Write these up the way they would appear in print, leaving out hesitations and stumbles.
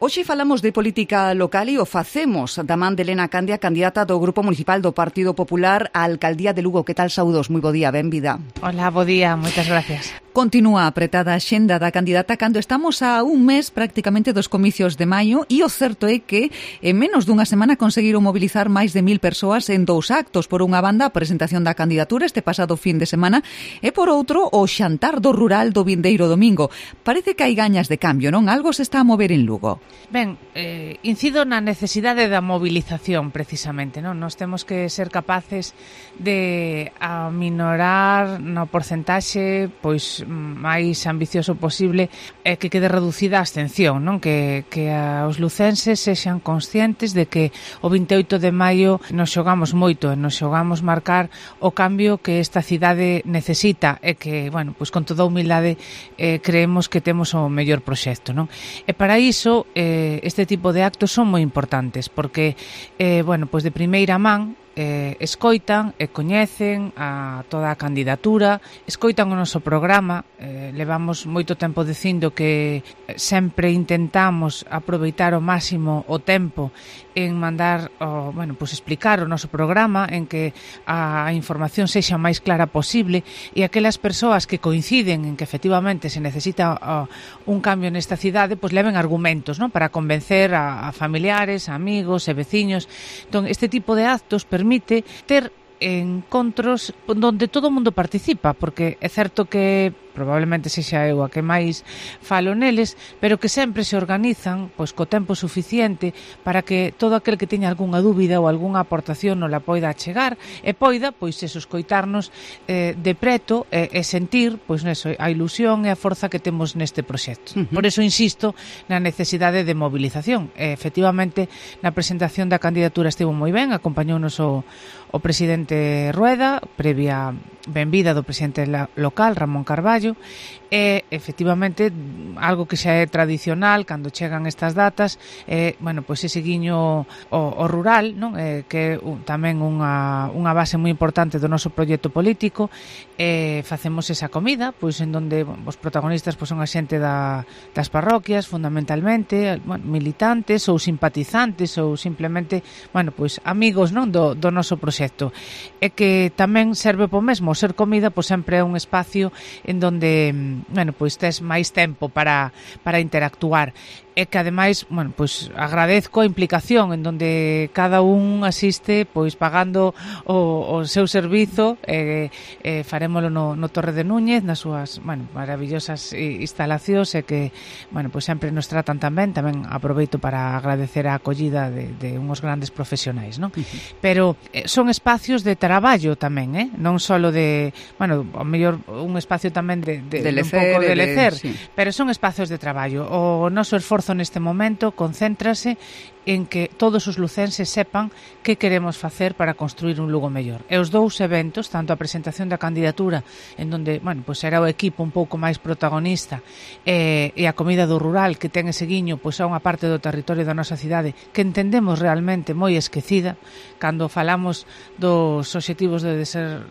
Hoxe falamos de política local e o facemos da man de Elena Candia, candidata do Grupo Municipal do Partido Popular á Alcaldía de Lugo. Que tal, saúdos? Moi bo día, benvida. Hola, bo día, moitas gracias. Continúa apretada a xenda da candidata cando estamos a un mes prácticamente dos comicios de maio e o certo é que en menos dunha semana conseguiron mobilizar máis de 1000 persoas en dous actos. Por unha banda, a presentación da candidatura este pasado fin de semana e por outro, o xantar do rural do vindeiro domingo. Parece que hai gañas de cambio, non? Algo se está a mover en Lugo. Ben, incido na necesidade da movilización, precisamente, non? Nós temos que ser capaces de aminorar no porcentaxe pois máis ambicioso posible e que quede reducida a abstención, non? Que os lucenses sexan conscientes de que o 28 de maio nos xogamos moito e nos xogamos marcar o cambio que esta cidade necesita e que, bueno, pois con toda humildade creemos que temos o mellor proxecto, non? E para iso este tipo de actos son moi importantes porque, bueno, pois de primeira man escoitan e coñecen a toda a candidatura, escoitan o noso programa. Levamos moito tempo dicindo que sempre intentamos aproveitar ao máximo o tempo en mandar, bueno, pues explicar o noso programa, en que a información sexa o máis clara posible e aquelas persoas que coinciden en que efectivamente se necesita un cambio nesta cidade, pues leven argumentos, ¿no?, para convencer a familiares, a amigos e veciños. Entón, este tipo de actos permite ter encontros onde todo o mundo participa, porque é certo que probablemente sexa eu a que máis falo neles, pero que sempre se organizan pois co tempo suficiente para que todo aquel que teña algunha dúbida ou algunha aportación non la poida chegar e poida, pois, eso, escoitarnos de preto e sentir, pois, neso, a ilusión e a forza que temos neste proxecto. Por eso insisto na necesidade de movilización. Efectivamente, na presentación da candidatura estivo moi ben, acompañounos o presidente Rueda, previa benvida do presidente local, Ramón Carballo, e efectivamente algo que xa é tradicional cando chegan estas datas, bueno, pois ese guiño o rural, non? Que é tamén unha base moi importante do noso proxecto político. Facemos esa comida, pois en donde os protagonistas pois son a xente das parroquias, fundamentalmente, bueno, militantes ou simpatizantes ou simplemente, bueno, pois amigos, non, do noso proxecto. E que tamén serve po mesmo, ser comida pois sempre é un espacio en donde, bueno, pois tes máis tempo para interactuar. E que ademais, bueno, pois agradezco a implicación en donde cada un asiste pois pagando o seu servizo, farémolo no Torre de Núñez, nas súas, bueno, maravillosas instalacións e que, bueno, pois sempre nos tratan tamén aproveito para agradecer a acollida de unhos grandes profesionais, non? Pero son espacios de traballo tamén, non só de, bueno, ao mellor un espacio tamén de lecer, un pouco de lecer, sí. Pero son espacios de traballo. O noso esforzo neste momento concéntrase en que todos os lucenses sepan que queremos facer para construir un Lugo mellor. E os dous eventos, tanto a presentación da candidatura, en donde, bueno, pois era o equipo un pouco máis protagonista, e a comida do rural, que ten ese guiño pois a unha parte do territorio da nosa cidade que entendemos realmente moi esquecida. Cando falamos dos obxectivos de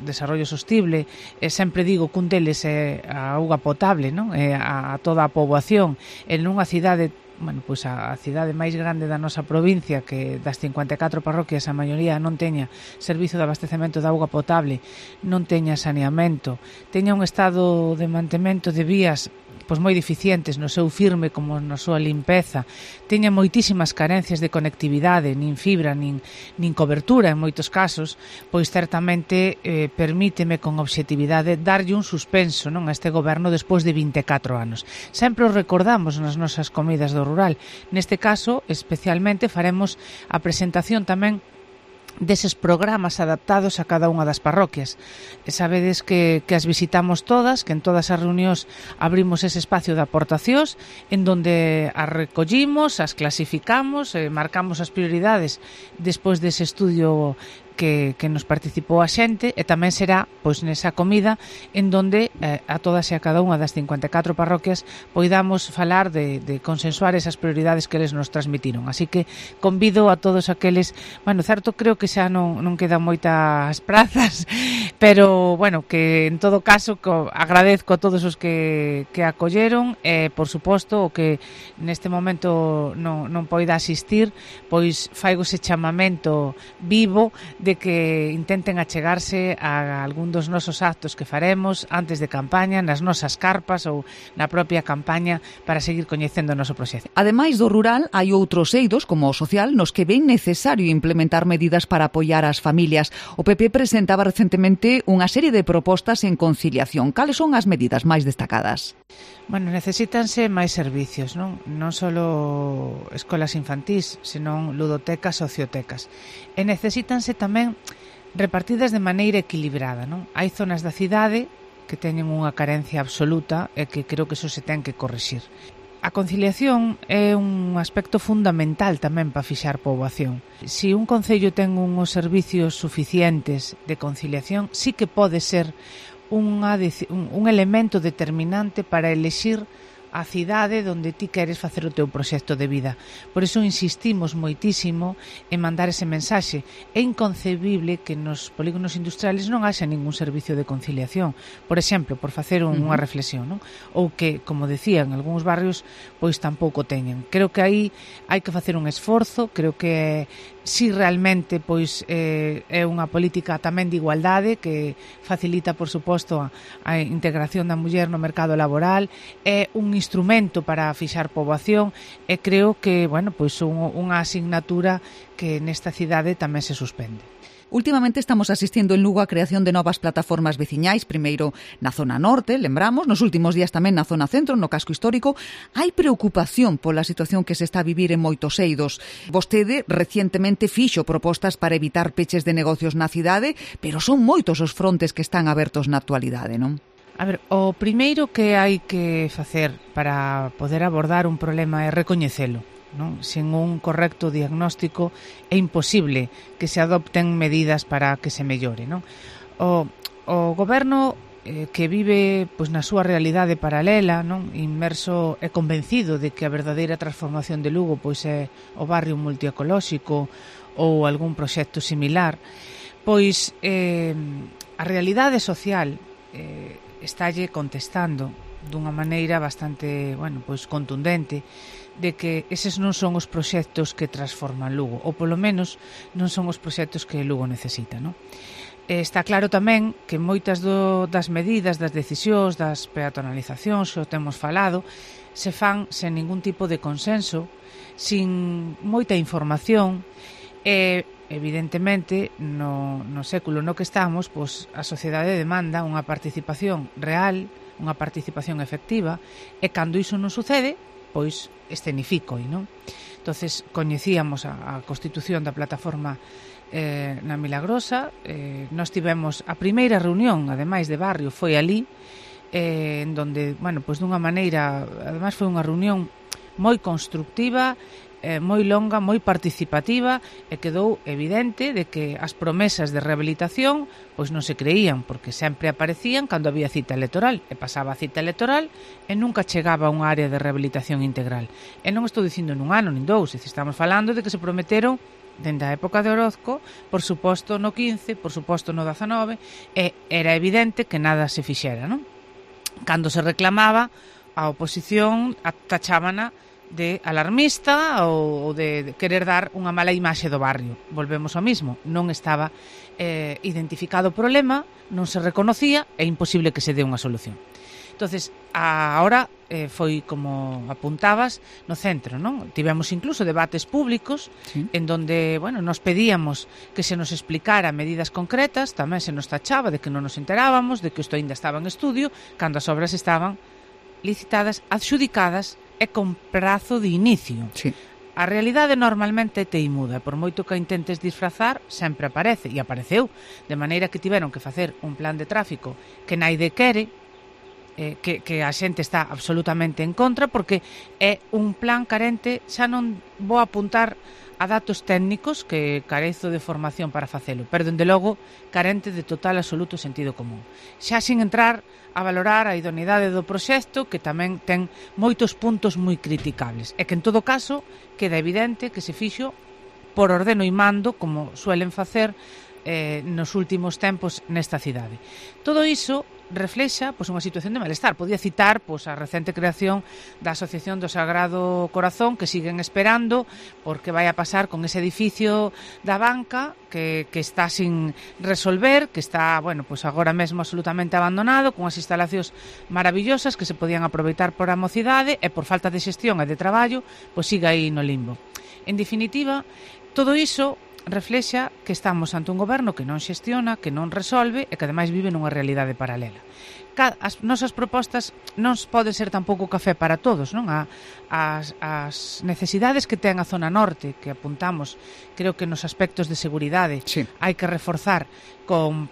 desarrollo sostible, sempre digo que un deles é a auga potable, non? A toda a poboación en unha cidade, bueno, pois a cidade máis grande da nosa provincia, que das 54 parroquias a maioría non teña servizo de abastecemento de auga potable, non teña saneamento, teña un estado de mantemento de vías pois moi deficientes no seu firme como na súa limpeza, teña moitísimas carencias de conectividade, nin fibra, nin cobertura en moitos casos, pois certamente permíteme con obxectividade darlle un suspenso, non, a este goberno despois de 24 anos. Sempre o recordamos nas nosas comidas do rural. Neste caso, especialmente, faremos a presentación tamén deses programas adaptados a cada unha das parroquias. E sabedes que as visitamos todas, que en todas as reunións abrimos ese espacio de aportacións en donde as recollimos, as clasificamos, marcamos as prioridades despois dese estudio que nos participou a xente, e tamén será pois nesa comida en donde a todas e a cada unha das 54 parroquias poidamos falar de consensuar esas prioridades que eles nos transmitiron. Así que convido a todos aqueles, bueno, certo, creo que xa non quedan moitas prazas, pero bueno, que en todo caso agradezco a todos os que acolleron, e por suposto o que neste momento non poida asistir, pois faigo ese chamamento vivo de que intenten achegarse a algún dos nosos actos que faremos antes de campaña, nas nosas carpas ou na propia campaña, para seguir coñecendo o noso proxecto. Ademais do rural, hai outros eidos, como o social, nos que ven necesario implementar medidas para apoiar as familias. O PP presentaba recentemente unha serie de propostas en conciliación. Cales son as medidas máis destacadas? Bueno, necesítanse máis servicios, non só escolas infantís, senón ludotecas, sociotecas. E necesítanse tamén repartidas de maneira equilibrada, non? Hai zonas da cidade que teñen unha carencia absoluta e que creo que iso se ten que corrixir. A conciliación é un aspecto fundamental tamén para fixar poboación. Se un concello ten uns servicios suficientes de conciliación, sí que pode ser un elemento determinante para elexir a cidade onde ti queres facer o teu proxecto de vida. Por iso insistimos moitísimo en mandar ese mensaxe. É inconcebible que nos polígonos industriales non haxa ningún servicio de conciliación. Por exemplo, por facer unha reflexión, non? Ou que, como decía, en algúns barrios pois tampouco teñen. Creo que aí hai que facer un esforzo, creo que si realmente pois é unha política tamén de igualdade que facilita, por suposto, a integración da muller no mercado laboral, é un instrumento para fixar poboación, e creo que, bueno, pois unha asignatura que nesta cidade tamén se suspende. Últimamente estamos asistindo en Lugo á creación de novas plataformas veciñais, primeiro na zona norte, lembramos, nos últimos días tamén na zona centro, no casco histórico. Hai preocupación pola situación que se está a vivir en moitos eidos. Vostede recientemente fixo propostas para evitar peches de negocios na cidade, pero son moitos os frontes que están abertos na actualidade, non? A ver, o primeiro que hai que facer para poder abordar un problema é recoñecelo, non? Sen un correcto diagnóstico é imposible que se adopten medidas para que se mellore, non? O goberno que vive pois na súa realidade paralela, non? Inmerso e convencido de que a verdadeira transformación de Lugo pois é o barrio multiecolóxico ou algún proxecto similar, pois a realidade social estalle contestando dunha maneira bastante, bueno, pois contundente, de que eses non son os proxectos que transforman Lugo, ou polo menos non son os proxectos que Lugo necesita, non? Está claro tamén que moitas das medidas, das decisións, das peatonalizacións, o temos falado, se fan sen ningún tipo de consenso, sin moita información, e evidentemente no século no que estamos, pois a sociedade demanda unha participación real, unha participación efectiva, e cando iso non sucede, pois escenifico, non? Entonces coñecíamos a constitución da plataforma na Milagrosa, nós tivemos a primeira reunión, ademais de barrio, foi ali, en donde, bueno, pois dunha maneira, ademais foi unha reunión moi constructiva, moi longa, moi participativa, e quedou evidente de que as promesas de rehabilitación pois non se creían, porque sempre aparecían cando había cita electoral, e pasaba a cita electoral e nunca chegaba a unha área de rehabilitación integral. E non estou dicindo nun ano nin dous, estamos falando de que se prometeron dende a época de Orozco, por suposto no 15, por suposto no 19, e era evidente que nada se fixera, non? Cando se reclamaba, a oposición tachábana de alarmista ou de querer dar unha mala imaxe do barrio. Volvemos ao mismo, non estaba identificado o problema, non se reconocía, é imposible que se dé unha solución. Entonces, ahora foi como apuntabas no centro, non? Tivemos incluso debates públicos, sí, en donde, bueno, nos pedíamos que se nos explicara medidas concretas, tamén se nos tachaba de que non nos enterábamos, de que isto ainda estaba en estudio, cando as obras estaban licitadas, adxudicadas e con prazo de inicio. Sí. A realidade normalmente é teimuda, por moito que a intentes disfrazar, sempre aparece, e apareceu, de maneira que tiveron que facer un plan de tráfico que naide quere, que a xente está absolutamente en contra, porque é un plan carente, xa non vou apuntar a datos técnicos que carezo de formación para facelo, pero dende logo carente de total absoluto sentido común. Xa sin entrar a valorar a idoneidade do proxecto, que tamén ten moitos puntos moi criticables, e que en todo caso queda evidente que se fixo por ordeno e mando, como suelen facer nos últimos tempos nesta cidade. Todo iso reflexa unha situación de malestar. Podía citar a recente creación da Asociación do Sagrado Corazón, que siguen esperando porque vai a pasar con ese edificio da banca que está sin resolver, que está, agora mesmo absolutamente abandonado, con as instalacións maravillosas que se podían aproveitar por a mocidade, e por falta de xestión e de traballo, siga aí no limbo. En definitiva, todo iso reflexa que estamos ante un goberno que non xestiona, que non resolve e que ademais vive nunha realidade paralela. As nosas propostas non pode ser tampouco café para todos, non? As necesidades que ten a zona norte, que apuntamos, creo que nos aspectos de seguridade, sí, hai que reforzar con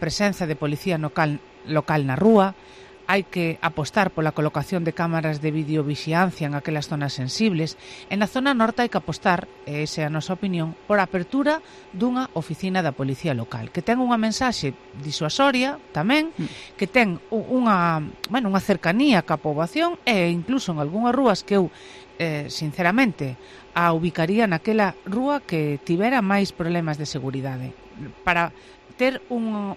presenza de policía local na rúa. Hai que apostar pola colocación de cámaras de videovixiancia en aquelas zonas sensibles. E na zona norte hai que apostar, e esa é a nosa opinión, por a apertura dunha oficina da policía local, que ten unha mensaxe disuasoria tamén, que ten unha cercanía ca poboación, e incluso en algunhas rúas que eu, sinceramente, a ubicaría naquela rúa que tivera máis problemas de seguridade, para ter un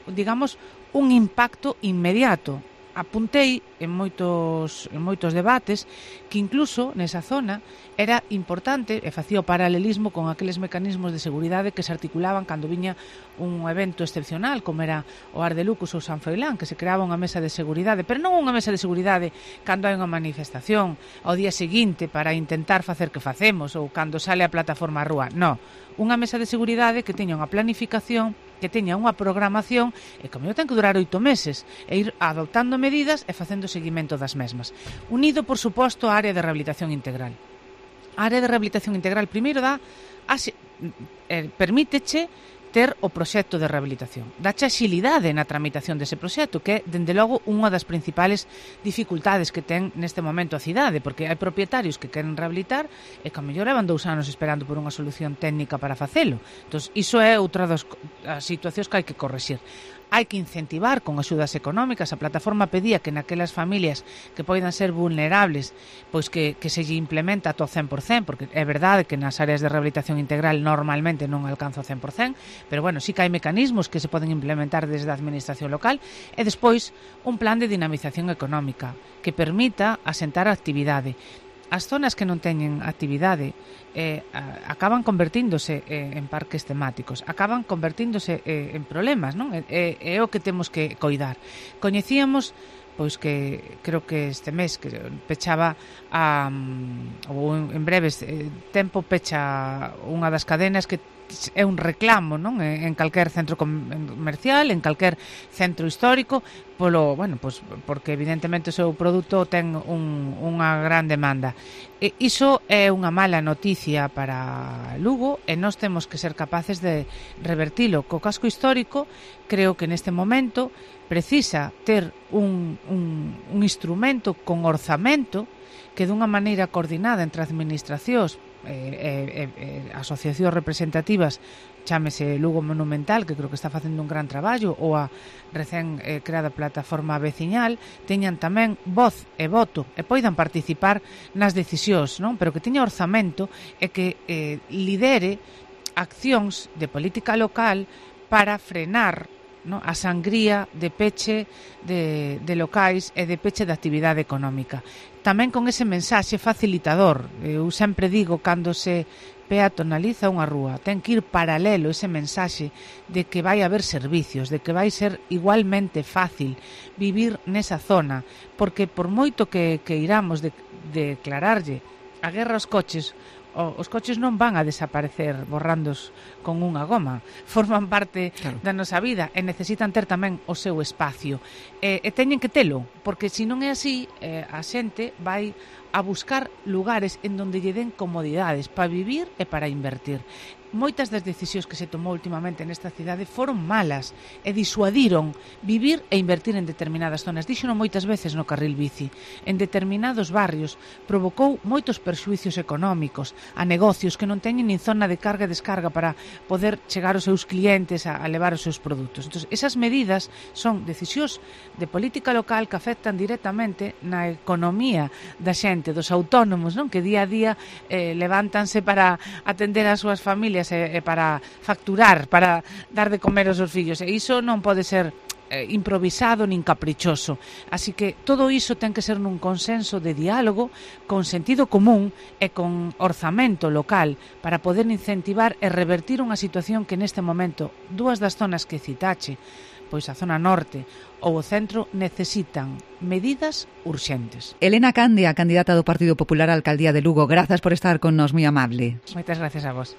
impacto inmediato. Apuntei en moitos debates que incluso nesa zona era importante, e facía o paralelismo con aqueles mecanismos de seguridade que se articulaban cando viña un evento excepcional, como era o Ar de Lucos ou San Froilán, que se creaba unha mesa de seguridade, pero non unha mesa de seguridade cando hai unha manifestación ao día seguinte para intentar facer que facemos, ou cando sale a plataforma á rúa. Non, unha mesa de seguridade que teña unha planificación, que teña unha programación e que ten que durar 8 meses e ir adoptando medidas e facendo seguimento das mesmas. Unido, por suposto, á área de rehabilitación integral. A área de rehabilitación integral primeiro permíteche ter o proxecto de rehabilitación. Dache axilidade na tramitación dese proxecto, que é, dende logo, unha das principales dificultades que ten neste momento a cidade, porque hai propietarios que queren rehabilitar e que a mellor levan 2 anos esperando por unha solución técnica para facelo. Entón, iso é outra das situacións que hai que correxir. Hai que incentivar con axudas económicas. A plataforma pedía que naquelas familias que poidan ser vulnerables, pois que se lle implementa ata o 100%, porque é verdade que nas áreas de rehabilitación integral normalmente non alcanza o 100%, pero sí que hai mecanismos que se poden implementar desde a administración local, e despois un plan de dinamización económica que permita asentar a actividade. As zonas que non teñen actividade acaban convertíndose en parques temáticos, acaban convertíndose en problemas, non? É o que temos que coidar. Coñecíamos que creo que este mes que pechaba ou en breves tempo pecha unha das cadenas que é un reclamo, non? En calquer centro comercial, en calquer centro histórico, porque evidentemente o seu produto ten unha gran demanda. Iso é unha mala noticia para Lugo e nós temos que ser capaces de revertilo. Co casco histórico, creo que neste momento precisa ter un instrumento con orzamento que dunha maneira coordinada entre administracións asociacións representativas, chámese Lugo Monumental, que creo que está facendo un gran traballo, ou a recén creada plataforma veciñal, teñan tamén voz e voto e poidan participar nas decisións, non? Pero que teña orzamento e que lidere accións de política local para frenar, non, a sangría de peche de locais e de peche de actividade económica. Tamén con ese mensaxe facilitador. Eu sempre digo, cando se peatonaliza unha rúa, ten que ir paralelo ese mensaxe de que vai haber servicios, de que vai ser igualmente fácil vivir nesa zona, porque por moito que iramos declararlle a guerra aos coches, os coches non van a desaparecer borrandos con unha goma, forman parte da nosa vida e necesitan ter tamén o seu espacio e teñen que telo, porque se non é así a xente vai a buscar lugares en donde lle den comodidades para vivir e para invertir. Moitas das decisións que se tomou últimamente nesta cidade foron malas e disuadiron vivir e invertir en determinadas zonas. Díxono moitas veces no carril bici. En determinados barrios provocou moitos perxuicios económicos a negocios que non teñen nin zona de carga e descarga para poder chegar aos seus clientes a levar os seus produtos. Entón, esas medidas son decisións de política local que afectan directamente na economía da xente, dos autónomos, non? Que día a día levántanse para atender as súas familias e para facturar, para dar de comer aos seus fillos. E iso non pode ser improvisado nin caprichoso. Así que todo iso ten que ser nun consenso de diálogo con sentido común e con orzamento local para poder incentivar e revertir unha situación que neste momento dúas das zonas que citache, pois a zona norte ou o centro, necesitan medidas urxentes. Elena Candia, candidata do Partido Popular á alcaldía de Lugo, grazas por estar con nos, moi amable. Moitas gracias a vos.